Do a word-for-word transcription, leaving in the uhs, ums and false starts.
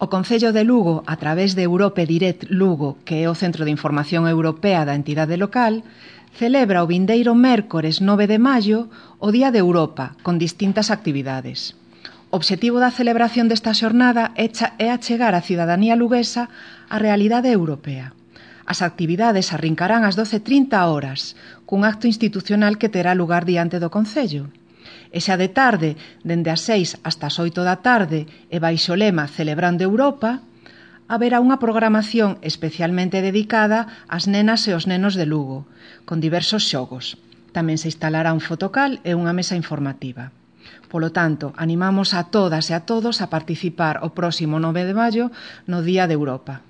O Concello de Lugo, a través de Europe Direct Lugo, que é o Centro de Información Europea da entidade local, celebra o vindeiro mércores nove de maio o Día de Europa, con distintas actividades. O obxectivo da celebración desta xornada é achegar a cidadanía luguesa á realidade europea. As actividades arrincarán ás doce e trinta horas, cun acto institucional que terá lugar diante do Concello. E xa de tarde, dende as seis hasta as oito da tarde, e baixo o lema Celebrando Europa, haberá unha programación especialmente dedicada ás nenas e aos nenos de Lugo, con diversos xogos. Tamén se instalará un fotocal e unha mesa informativa. Polo tanto, animamos a todas e a todos a participar o próximo nove de maio no Día de Europa.